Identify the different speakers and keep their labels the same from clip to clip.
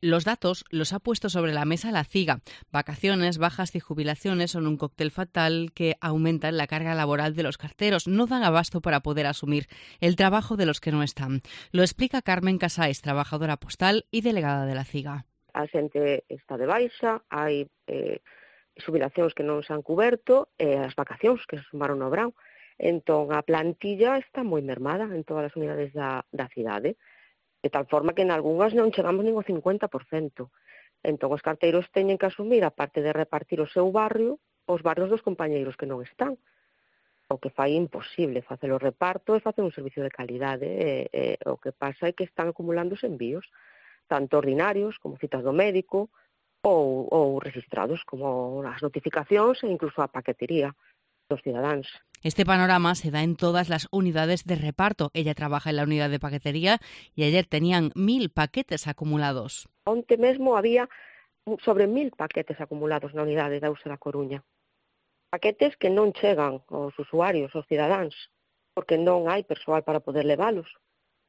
Speaker 1: Los datos los ha puesto sobre la mesa la CIGA. Vacaciones, bajas y jubilaciones son un cóctel fatal que aumentan la carga laboral de los carteros. No dan abasto para poder asumir el trabajo de los que no están. Lo explica Carmen Casais, trabajadora postal y delegada de la CIGA.
Speaker 2: A xente está de baixa, hai xubilacións que non se han cuberto, as vacacións que se sumaron no verán. Entón, a plantilla está moi mermada en todas as unidades da cidade, de tal forma que en algunhas non chegamos nin ao 50%. Entón, os carteiros teñen que asumir, a parte de repartir o seu barrio, os barrios dos compañeiros que non están. O que fai imposible facer o reparto e facer un servicio de calidade. O que pasa é que están acumulándose envíos, tanto ordinarios como citas do médico, ou registrados, como as notificacións e incluso a paquetería dos cidadáns.
Speaker 1: Este panorama se da en todas las unidades de reparto. Ella trabaja en la unidad de paquetería y ayer tenían 1.000 paquetes acumulados.
Speaker 2: Onte mesmo había sobre 1.000 paquetes acumulados na unidade da USE da Coruña. Paquetes que non chegan aos usuarios, aos cidadáns, porque non hai persoal para poder leválos.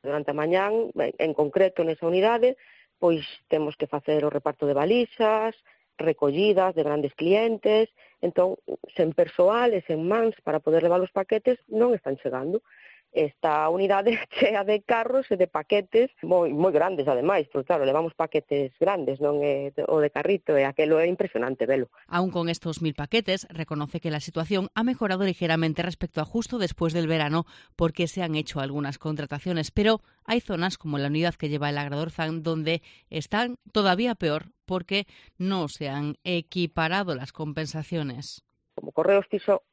Speaker 2: Durante a mañán, en concreto nesa unidade, pois temos que facer o reparto de valixas, recollidas de grandes clientes, entón, sen persoal e sen mans para poder levar os paquetes non están chegando. Esta unidade chea de carros e de paquetes moi grandes, ademais, porque claro, levamos paquetes grandes, non o de carrito, e aquelo é impresionante velo.
Speaker 1: Aún con estos 1.000 paquetes, reconoce que la situación ha mejorado ligeramente respecto a justo después del verano, porque se han hecho algunas contrataciones, pero hay zonas como la unidad que lleva el Agradorzán donde están todavía peor porque no se han equiparado las compensaciones.
Speaker 2: Como Correos fixo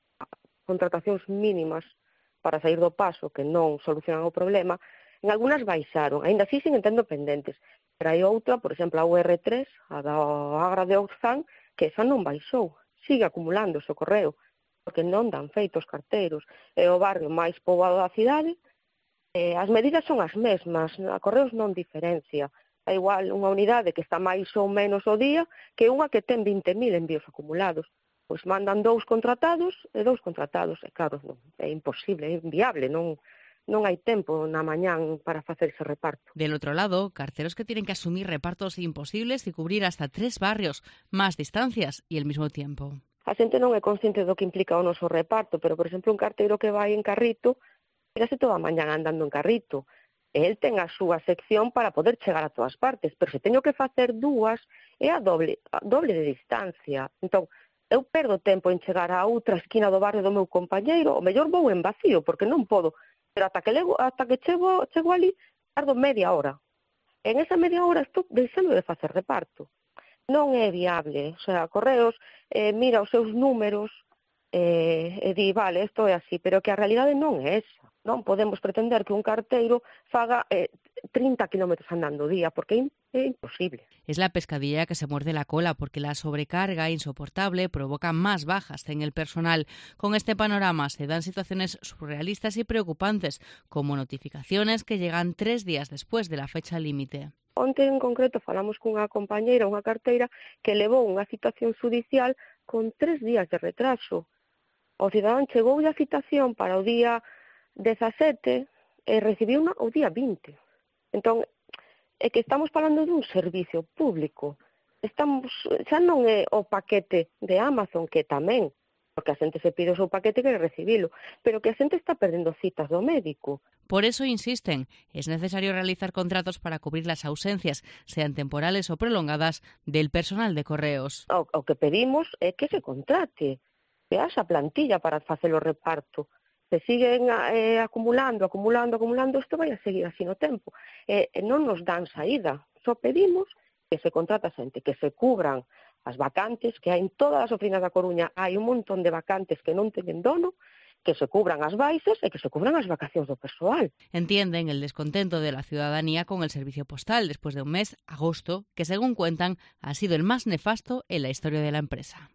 Speaker 2: contratacións mínimas para sair do paso, que non solucionan o problema, en algunhas baixaron, aínda así siguen tendo pendentes, pero hai outra, por exemplo, a UR3, a da Agradorzán, que esa non baixou, sigue acumulando o correo, porque non dan feito os carteiros, é o barrio máis poboado da cidade, as medidas son as mesmas, a Correos non diferencia, é igual unha unidade que está máis ou menos o día que unha que ten 20.000 envíos acumulados. Pois mandan 2 contratados, e claro, non, é imposible, é inviable, non hai tempo na mañán para facer ese reparto.
Speaker 1: Del otro lado, carteros que tienen que asumir repartos imposibles y cubrir hasta 3 barrios, más distancias y el mismo tiempo.
Speaker 2: A xente non é consciente do que implica o noso reparto, pero, por exemplo, un carteiro que vai en carrito, érase toda a mañán andando en carrito. El ten a súa sección para poder chegar a todas partes, pero se teño que facer 2, é a doble de distancia. Entón, eu perdo tempo en chegar a outra esquina do barrio do meu compañeiro, o mellor vou en vacío, porque non podo, pero ata que chego ali, tardo media hora. En esa media hora estou deixando de facer reparto. Non é viable, o sea, Correos mira os seus números e di, vale, isto é así, pero que a realidade non é esa. Non podemos pretender que un carteiro faga 30 kilómetros andando o día, porque é imposible.
Speaker 1: Es la pescadilla que se muerde la cola, porque la sobrecarga insoportable provoca más bajas en el personal. Con este panorama se dan situaciones surrealistas y preocupantes, como notificaciones que llegan 3 días después de la fecha límite.
Speaker 2: Onte en concreto falamos cunha compañeira, unha carteira, que levou unha citación judicial con 3 días de retraso. O cidadán chegou a citación para o día 17 e recibiu unha o día 20. Entón, é que estamos falando dun servicio público. Xa non é o paquete de Amazon, que tamén, porque a xente se pide o seu paquete e quere recibilo, pero que a xente está perdendo citas do médico.
Speaker 1: Por eso insisten, es necesario realizar contratos para cubrir las ausencias, sean temporales o prolongadas, del personal de Correos.
Speaker 2: O que pedimos é que se contrate, que haxa plantilla para facer o reparto. Se siguen acumulando, isto vai a seguir así no tempo. Non nos dan saída, só pedimos que se contrata xente, que se cubran as vacantes, que hai en todas as oficinas da Coruña, hai un montón de vacantes que non teñen dono, que se cubran as baixas e que se cubran as vacacións do persoal.
Speaker 1: Entienden el descontento de la ciudadanía con el servicio postal después de un mes, agosto, que según cuentan ha sido el más nefasto en la historia de la empresa.